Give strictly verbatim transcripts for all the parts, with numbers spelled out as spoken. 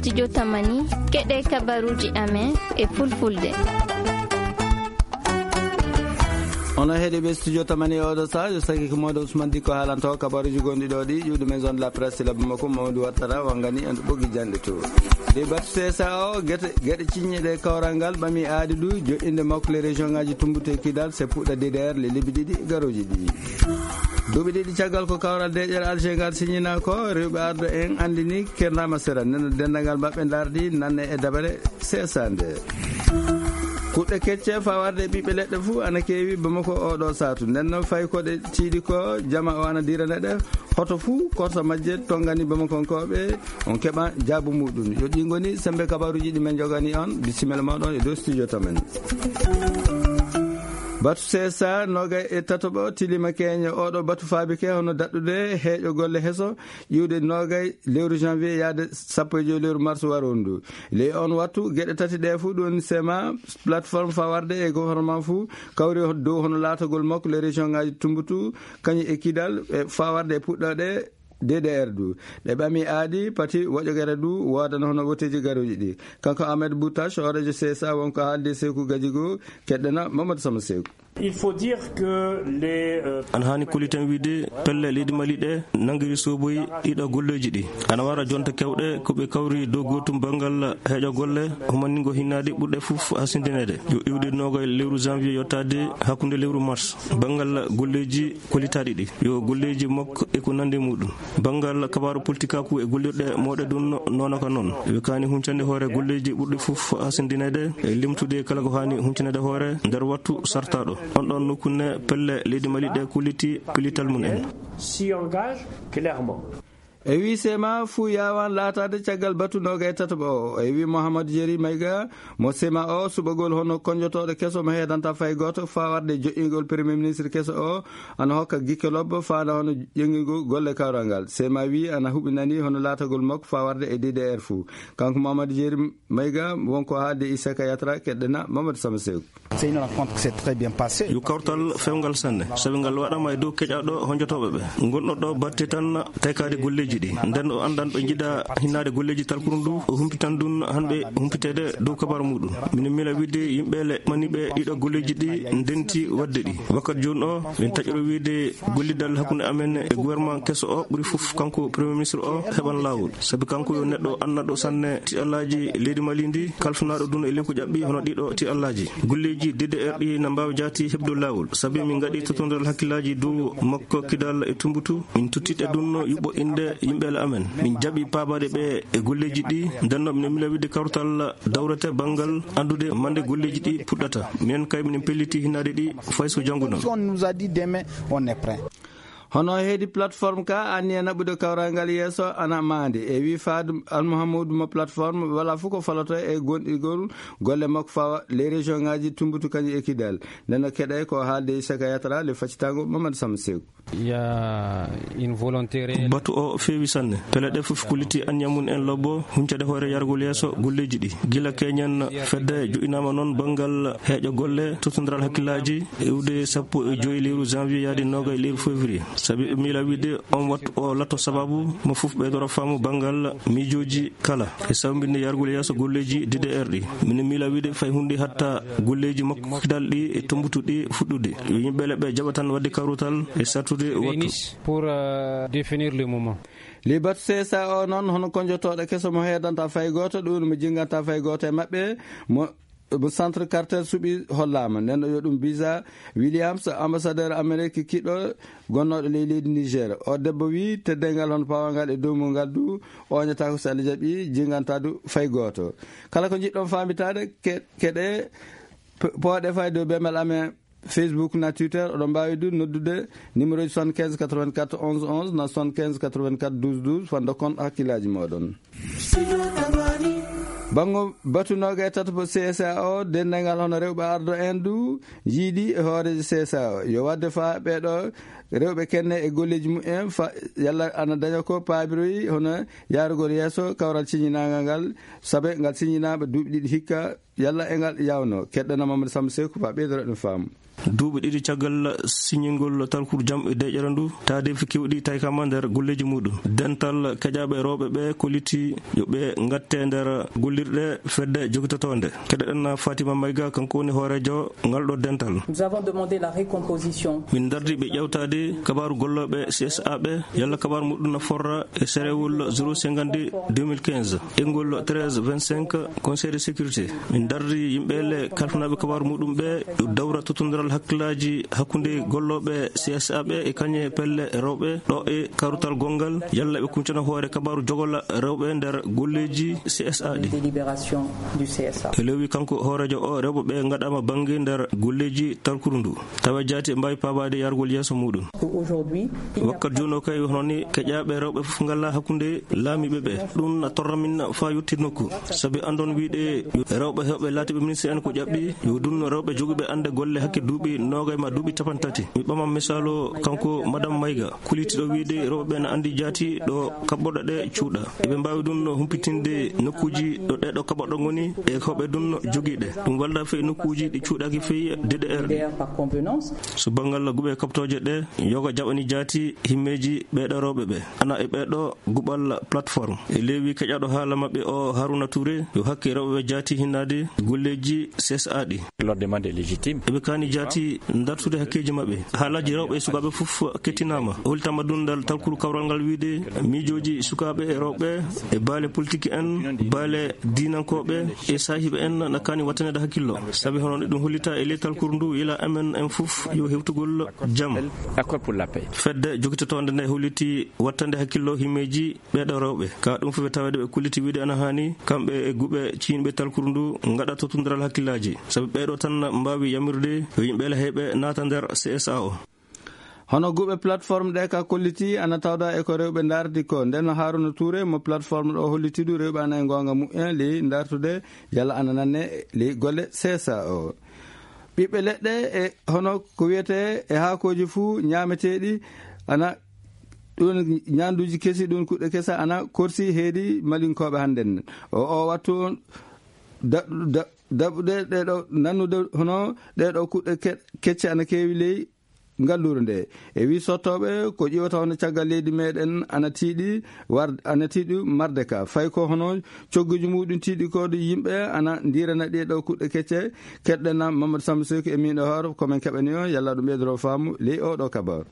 Studio Tamani, keɗe kabaruji amen e fulfulde. Ono heɗi ɓe studio Tamani e oɗo saha, yo saki ko moɗo Ousmane Dikko haalanto kabaruji gonɗi ɗo ɗi, ƴuwɗo maison de la presse, labbo makko Mamadou Wattara, wangani en ɓoggi janɗe to. De batu C S A o, gete, geɗe ciññe ɗe kawral ngal ɓami aadi ɗu, joɗɗinde makko le région ngaji Tumbute Kidal, se puɗɗa D D R le lebbi ɗiɗi garoji ɗi. Duuɓi ɗiɗi caggal ko kawral deeƴere Alger ngal siñina ko, rewɓe ardo en andini kernama sera, nden dendalngal maɓɓe dardi nanne e dabare sesande. Kuɗɗe kecce fawarde e ɓiɓɓe leɗɗe fuu ana keewi Bamako oɗo saatu. Nden noon fayi ko ɗe tiiɗi ko, jama o ana dirane ɗe, hoto fuu korsa majje tongani Bamakonkooɓe, on keɓa jaabu muɗum. Yo ɗi ngoni sembe kabaruji ɗi men jogani on, bisimilla moɗon e dow studio to men. Batu C S A nogay e tataɓo tilima keñe. Oɗo batu faabike hono daɗɗude heeƴo golle heso, iwde nogay lewru janvier yaade sappo e joyi lewru mars warondu. Ley on wattu, geɗe tati ɗe fuu, ɗum sema, plateforme fawarde e gouvernement fuu, kawri dow hono laatagol makko le région ngaji Tumbutu, kañum e Kidal, e fawarde e puɗɗoɗe D D R du. Ɗe ɓami aadi, pati woƴogere du, woodana hono woteji garoji ɗi. Kanko Ahmed Boutache, hoorejo C S A, wonko haalde Seeku Gajigo, keɗɗena Mamadou Sama Seeku. Il faut dire que les, euh, Ana haani koliten wiide pelle leydi Mali ɗe nanngiri soboyi ɗiɗo golleeji ɗi. Ana wara jonte kewɗe ko ɓe kawri dow gootum banngal heeƴo golle, humaningo hinnaade ɓurɗe fof hasindineede. Yo iwde noogay lewru janvier yottaade hakkunde lewru mars. Banngal golleeji kolitaaɗi ɗi. Yo golleeji makko e ko nandi muɗum. Banngal kabaaru politikaaku e gollirɗe mooɗe ɗum noona ka noon. Ɓe kaani huncande hoore golleeji ɓurɗi fof hasindineede e limtude kala ko haani huncinede hoore nder wattu sartaaɗo. On ɗon nokku ne pelle leydi Mali ɗe kulliti pellital mum en. S'y engage clairement. E wi sema fuu yaawan laataade caggal batu noogay tataɓo o. E wi Mouhamadou Jeri Mayga mo sema o suɓagol hono konjotooɗo keso mo heedanta fay gooto faa warde joƴƴingol premier ministre keso o ana hokka gikke lobbo faanda hono ƴeŋŋingol golle kawral ngal. Sema wi ana huɓinani hono laatagol makko faa warde e D D R fuu. Kanko Mouhamadou Jeri Mayga wonko haalde Issaka Yatra keɗɗena Mamadou Sama Seeku. C'est une rencontre qui s'est très bien passée. Yo kawtal fewngal sanne, sabi ngal waɗama e dow keƴaɗo honjotooɓe ɓe. Gonɗo ɗo batte tan taykaade golleeji ɗi. Nden o anndan ɓe njiɗa hinnaade golleeji talkuru ndu, o humpitan ɗum hanɓe humpiteede dow kabaru muɗum. Mino miila wiide yimɓe le maniɓe ɗiɗo golleeji ɗi ndenti waɗde ɗi. Wakkati jooni o, min taƴiro wiide gollidal hakkunde amen e gouvernement keso o ɓuri fof kanko premier ministre o heɓan laawol. Sabi kanko yo neɗɗo annduɗo sanne tiɗallaaji leydi Mali ndi, kalfinaaɗo ɗum e lenku ƴaɓɓi hono ɗiɗo tiɗallaaji. Golleeji D D R ɗi na mbaawi jaati heɓde laawol. Sabi min ngaɗi totondiral hakkillaaji dow makko Kidal e Tumbutu. Min tottiɗe ɗum yuɓɓo innde yimɓe le amen. Min jaɓi paabaade ɓe e golleeji ɗi. Nden noon mino miila wiide kawtal dawrete banngal anndude mande golleeji ɗi puɗɗata. Minen kay minen pelliti hinnaade ɗi fay so janngo noon. On nous a dit demain, on est prêt. Hono heedi plateforme ka anniya naɓude kawral ngal yeeso ana maande. E wi Fadu Almuhammadu mo plateforme wala fof ko faloto e gonɗigol golle makko fawa les région ngaji Tumbutu kañum e Kidal. Nden no keɗe ko haalde Issaka Yatra le faccitango Mamadou Sama Seeku. Il y a une volonté réelle. Batu o feewi sanne. Pele ɗe fof kulliti anniya mum en lobbo huncade hoore yargol yeeso golleeji ɗi. Gila keñen fedde joƴƴinaama noon banngal heeƴo golle totondiral hakkillaaji iwde sappo e joyi lewru janvier yaade noogay lewru février. Sabi ɓe miila wiide on wattu o latto sababu mo fof ɓeydoro faamu banngal miijooji kala e sawbinde yargol yeeso golleeji D D R ɗi. Mino miila wiide fay huunde hatta golleeji makko Kidal ɗi e Tumbutu ɗi fuɗɗude. Yo yimɓe le ɓe jaɓa tan waɗde kawrutal e sattude wattu. Pour, euh, définir le moment. Libatu C S A o noon hono konjotooɗo keso mo heedanta fay gooto, ɗum mo jinnganta fay gooto e maɓɓe, mo, mo Centre Carter suɓi hollaama. Nden ɗo yo ɗum Biza Williams, ambassadeur Amérique kiɗɗo gonnooɗo ley leydi Niger. O debbo wi teddeengal hono pawangal e dow mum ngal du, oñata ko so Allah jaɓi, jinnganta du fay gooto. Kala ko njiɗɗon faamitaade, ke-, keɗe, p-, pooɗe fay dow bemel amen. Facebook na Twitter, oɗon mbaawi du noddude numéro ji soixante-quinze quatre-vingt-quatre onze onze na soixante-quinze quatre-vingt-quatre douze douze, faa ndokkon hakkillaaji mooɗon. Banngo batu noogay tataɓo C S A o, denndangal hono rewɓe ardo en du, yiɗi e hooreejo C S A o. Yo waɗde faa ɓeeɗo rewɓe kenne e golleeji mumen, fa-, yalla ana daña ko paabiroyi hono yaarugol yeeso kawral siñinaangal ngal, sabe ngal siñinaama duuɓi ɗiɗi hikka, yalla e ngal yawno. Keɗɗana Mamadou Samba Seeku faa ɓeydoro ɗum faamu. Duuɓi ɗiɗi caggal siñingol talkuru jam e deƴƴere ndu, taadeefi keewɗi taykama nder golleeji muɗum. Dental keƴaaɓe rewɓe ɓe kolliti yo ɓe ngatte nder gollirɗe fedde jogitotoonde. Keɗoɗen Fatima Mayga, kanko woni hooreejo ngal ɗo dental. Nous avons demandé la récomposition. Min ndardi ɓe ƴewtaade kabaaru gollooɓe C S A ɓe, yalla kabaaru muɗum na forra e serewol zéro cinquante deux mille quinze, engol treize vingt-cinq, Conseil de sécurité. Min ndardi yimɓe le kalfinaaɓe kabaaru muɗum ɓe, yo dawra tottondiral hakkillaaji hakkunde gollooɓe C S A ɓe e kañe pelle rewɓe ɗo e karutal gonngal, yalla ɓe kuncana hoore kabaaru jogola rewɓe nder golleeji C S A ɗi. Délibération du C S A. E lewwi kanko hooreejo o, rewɓe ɓe ngaɗama bannge nder golleeji talkuru ndu. Tawa jaati e mbaawi paabaade yargol yeeso muɗum. Aujourd'hui, il n'y a Wakkat jooni o kay hono ni keƴaaɓe rewɓe fof ngalla hakkunde laamiiɓe ɓe. Ɗum na torra min faa yotti nokku. Sabi anndon wiide rewɓe heewɓe laatiiɓe ministre en ko ƴaɓɓi, yo ɗum rewɓe jogiiɓe annde golle hakke duuɓi noogay ma duuɓi capanɗe tati. Mi ɓama misaalu kanko Madame Mayga, kullitiiɗo wiide rewɓe ɓe na anndi jaati ɗo kaɓɓoɗo ɗe cuuɗa. Eɓe mbaawi ɗum no humpitinde nokkuuji ɗo ɗe ɗo kaɓɓoɗo ngoni e ko ɓe ɗum jogii ɗe. Ɗum walda fey nokkuuji ɗi cuuɗaaki fey D D R ɗi. Par convenance. So banngal guɓe kaɓtooje ɗe, yoga jaɓani jaati himmeeji ɓee ɗo rewɓe ɓe. Ana e ɓee ɗo guɓal plateforme. E leewi keƴaɗo haala maɓɓe o Haruna Touré, yo hakke rewɓe ɓe jaati hinnaade golleeji C S A ɗi. Leur demande est légitime. Eɓe kaani jaati dartude hakkeeji maɓɓe. Haalaaji rewɓe e sukaaɓe fof kettinaama. Holtama dundal talkuru kawral ngal wiide miijooji sukaaɓe e rewɓe e baale politique en, baale diinankooɓe e saahiiɓe en na kaani wattanede hakkillo. Sabi hono ɗum hollita e ley talkuru ndu, yila amen en fof yo hewtugol jam. Accord pour la paix. Fedde jogitotoonde nde holliti wattande hakkillo himmeeji ɓee ɗo rewɓe. Ka ɗum fof ɓe tawede ɓe kulliti wiide ana haani kamɓe e guɓe ciinɓe talkuru ndu ngaɗa tottondiral hakkillaaji. Sabi ɓee ɗo tan mbaawi yamirde yo yimɓe le heɓe naata nder C S A o. Hono guɓe plateforme ɗe ka kolliti ana tawda e ko rewɓe ndardi ko. Nden Haruna Touré mo plateforme ɗo holliti du rewɓe ana e goonga mu'en ley ndartude yalla ana nanne ley golle C S A o. Ɓiɓɓe leɗɗe e hono ko wiyete e haakooji fuu ñaameteeɗi ana ɗum ñaanduuji kesi, ɗum kuɗɗe kesa ana korsi heedi malinkooɓe hannden. O, o wattu on da-, da-, daɓude ɗee ɗo, nannude hono ɗee ɗo kuɗɗe ke-, kecce ana keewi ley ngalluure nde. E wii sottooɓe ko ƴiwata hono caggal leydi meɗen ana tiiɗi war-, ana tiiɗi marde ka. Fay ko hono cogguji muɗum tiiɗi ko ɗo yimɓe ana ndirana ɗee ɗo kuɗɗe kecce. Keɗɗen Mamadou Samba Seck e miin e hoore ko men keɓani o, yalla ɗum ɓeydoro faamu ley o ɗo kabar.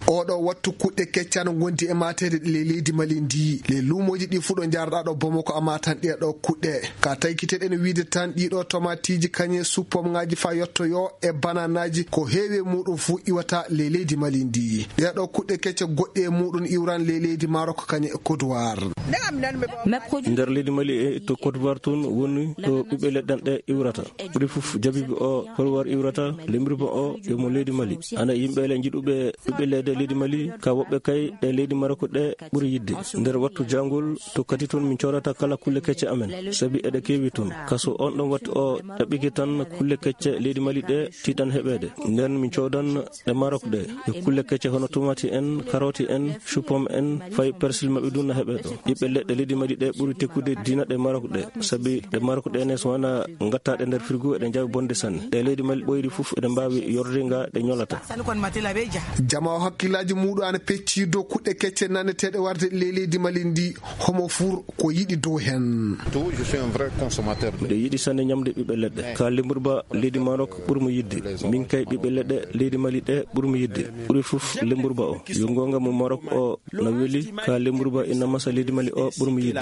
Oɗo wattu kuɗɗe kecce ana ngondi e mateede ɗe ley leydi Mali ndi. Ley luumooji ɗi fuɗo njarɗa ɗo Bamako a matan ɗee ɗo kuɗɗe. Ka taykiteɗen wiide tan ɗiɗo tomatiiji kañe suppomŋaaji fa yottoyo e bananaaji ko heewi e muɗum fuu iwata ley leydi Mali ndi. Ɗee ɗo kuɗɗe kecce goɗɗe e muɗum iwran ley leydi Maroc kañe e Côte d'Ivoire. Nder leydi Mali e to Côte d'Ivoire tun woni to ɓiɓɓe leɗɗan ɗe iwrata. Ɓuri fof jabibi o Côte d'Ivoire iwrata, lemriba o yo mo leydi Mali. Ana yimɓe le jiɗuɓe ɓiɓɓe leɗɗe leydi Mali, ka woɓɓe kay ɗe leydi Maroc ɗe ɓuri yidde. Nder wattu jangol to kadi tun min coodata kala kulle kecce amen, sabi eɗe keewi tun. Kaso on ɗon wattu o ɗaɓɓike tan kulle kecce leydi Mali ɗe tiiɗan heɓeede. Nden min coodan ɗe Maroc ɗe, e kulle kecce hono tomati en, karoti en, chou-pomme en, fay persil maɓɓe ɗum na heɓe ɗo. Ɓiɓɓe leɗɗe leydi Mali ɗe ɓuri tekkude diina ɗe Maroc ɗe, sabi ɗe Maroc ɗe ne so wona ngattaɗe nder frigo eɗe njawi bonde sanne. Ɗe leydi Mali ɓoyri fof eɗe mbaawi yorde nga ɗe ñolata. Jama o hakkillaaji muɗum ana pecci dow kuɗɗe kecce nanneteeɗe warde ley leydi Mali ndi, homo fur ko yiɗi dow hen. Tout, je suis un vrai consommateur de Miɗo yiɗi sanne ñamde ɓiɓɓe leɗɗe. Ka lemburba leydi Maroc ɓuri mo yidde. Min kay ɓiɓɓe leɗɗe leydi Mali ɗe ɓuri mo yidde. Ɓuri fof lemburba o. Yo goonga mo Maroc o na weli, ka lemburba ina masa leydi Mali o ɓuri mo yidde.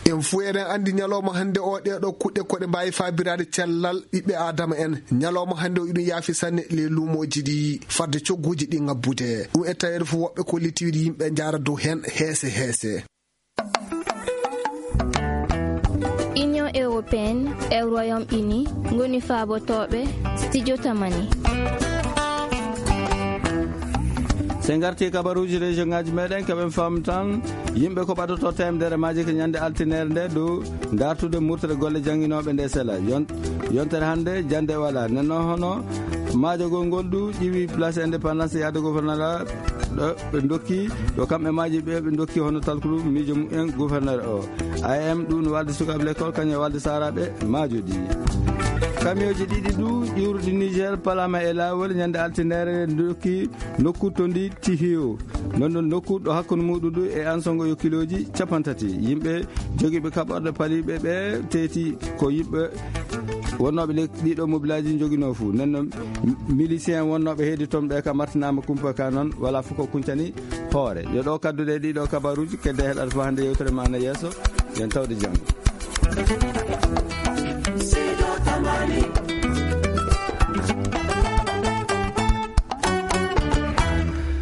En fuu eɗen anndi ñalawma hannde o ɗee ɗo kuɗɗe ko ɗe mbaawi faabiraade cellal ɓiɓɓe Aadama en. Ñalawma hannde o iɗum yaafi sanne ley luumooji ɗi fadde cogguuji ɗi ŋabbude. Ɗum e taweede fof woɓɓe ko litiiɗi yimɓe njaara dow heen heese heese. Union européenne e Royaume-Uni ngoni faabotooɓe studio Tamani. So en ngartii kabaruuji région ŋaaji meɗen, keɓen faam tan yimɓe ko ɓadoto teemedere maaji ko ñande altineere nde dow dartude murtere golle jannginooɓe nde sela. Yon-, yontere hannde jannde wala. Nenno hono maajogol ngol du ƴiwi place indépendance yaade gouverneur ɗo ɓe ndokki, ɗo kamɓe maaji ɓe ɓe ndokki hono talkuru miijo mumen gouverneur o. A M ɗum no walde sukaaɓe l'école, kañum e walde saaraaɓe maajoji. Kamiyooji ɗiɗi du ƴuurɗi Niger palaama e laawol ñande altinere, ndokki nokku to ndi tihi o. Non non nokku ɗo hakkunde muɗum du e Ansongo yo kilooji capantati. Yimɓe jogiiɓe kaɓorɗe paliiɓe ɓe teeti ko yimɓe wonnooɓe le-, ɗiɗo mobilaaji joginoo fu. Nden non milisien wonnooɓe heedi toon ɓe ka martinaama kumpa ka non, wala fof ko kuncani hoore. Yo ɗo kadduɗe ɗiɗo kabaruuji, kedde heɗata fof hannde yewtere ma na yeeso. Yen tawde janngo.